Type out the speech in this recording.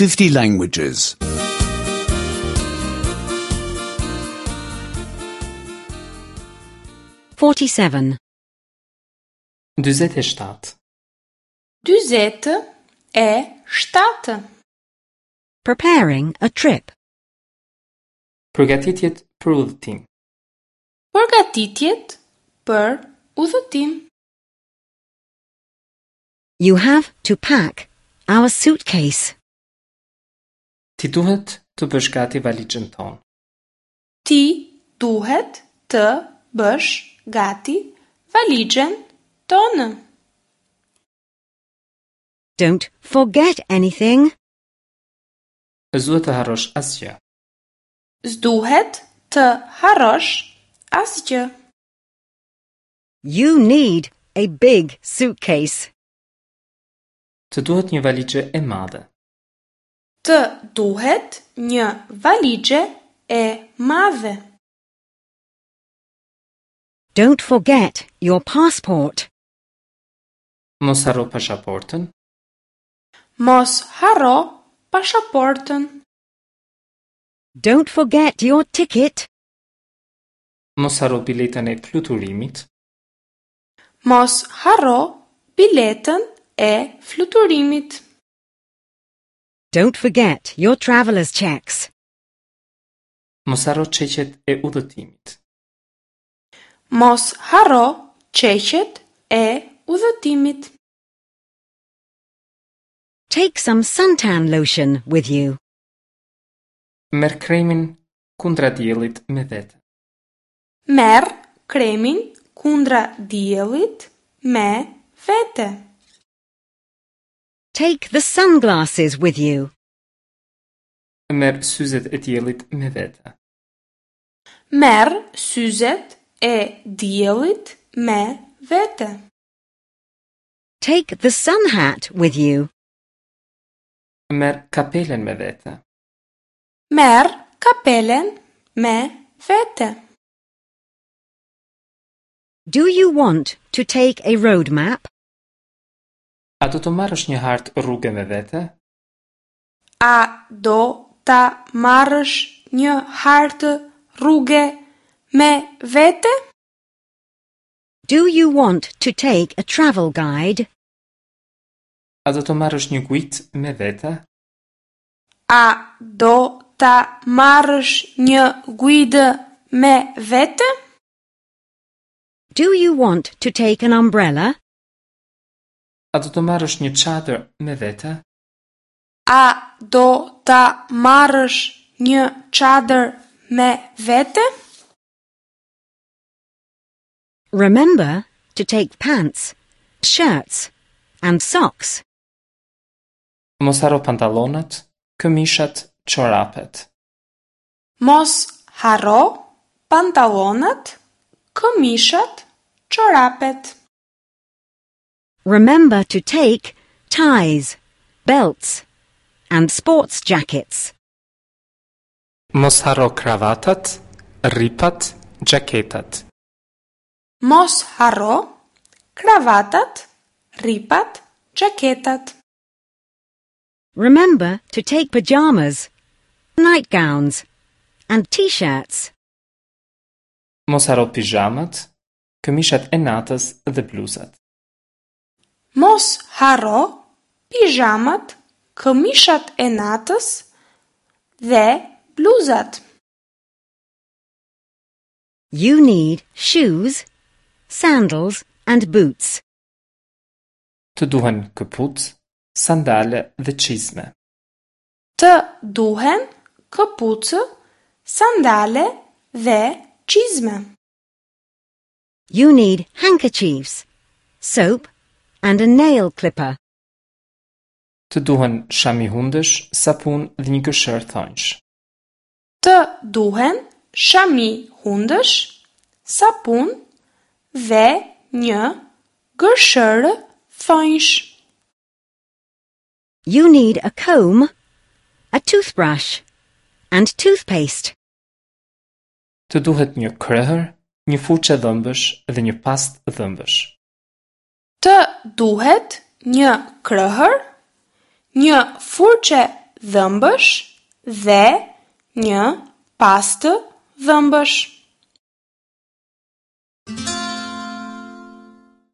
50 languages. 47. 47. 47. Preparing a trip. Përgatitjet për udhëtim. Përgatitjet për udhëtim. You have to pack our suitcase. Ti duhet të bësh gati valixhen tonë. Ti duhet të bësh gati valixhen tonë. Don't forget anything. S'duhet të harrosh asgjë. S'duhet të harrosh asgjë. You need a big suitcase. Të duhet një valixhe e madhe. Të duhet një valixhe e madhe. Don't forget your passport. Mos harro pasaportën. Mos harro pasaportën. Don't forget your ticket. Mos harro biletën e fluturimit. Mos harro biletën e fluturimit. Don't forget your traveler's checks. Mos harro çeqet e udhëtimit. Mos harro çeqet e udhëtimit. Take some suntan lotion with you. Merr kremin kundra diellit me vete. Merr kremin kundra diellit me vete. Take the sunglasses with you. Merr syzet e diellit me vete. Merr syzet e diellit me vete. Take the sun hat with you. Merr kapelen me vete. Merr kapelen me vete. Do you want to take a road map? A do të marrësh një hartë rruge me vete? A do ta marrësh një hartë rruge me vete? Do you want to take a travel guide? A do të marrësh një guidë me vete? A do ta marrësh një guidë me vete? Do you want to take an umbrella? A do të marrësh një çadër me vete? A do ta marrësh një çadër me vete? Remember to take pants, shirts, and socks. Mos harro pantallonat, këmishat, çorapet. Mos harro pantallonat, këmishat, çorapet. Remember to take ties, belts, and sports jackets. Mos harro kravatat, rripat, xhaketat. Mos harro kravatat, rripat, xhaketat. Remember to take pajamas, nightgowns, and t-shirts. Mos harro pizhamat, këmishat e natës dhe bluzat. Mos harro pizhamat, këmishat e natës dhe bluzat. You need shoes, sandals, and boots. Të duhen këpucë, sandale dhe çizme. Të duhen këpucë, sandale dhe çizme. You need handkerchiefs, soap, and a nail clipper. Të duhen shami hundësh, sapun dhe një gërshërë thonjsh. Të duhen shami hundësh, sapun dhe një gërshërë thonjsh. You need a comb, a toothbrush, and toothpaste. Të duhet një krehër, një furçë dhëmbësh dhe një pastë dhëmbësh. Të duhet një krehër, një furçe dhëmbësh dhe një pastë dhëmbësh.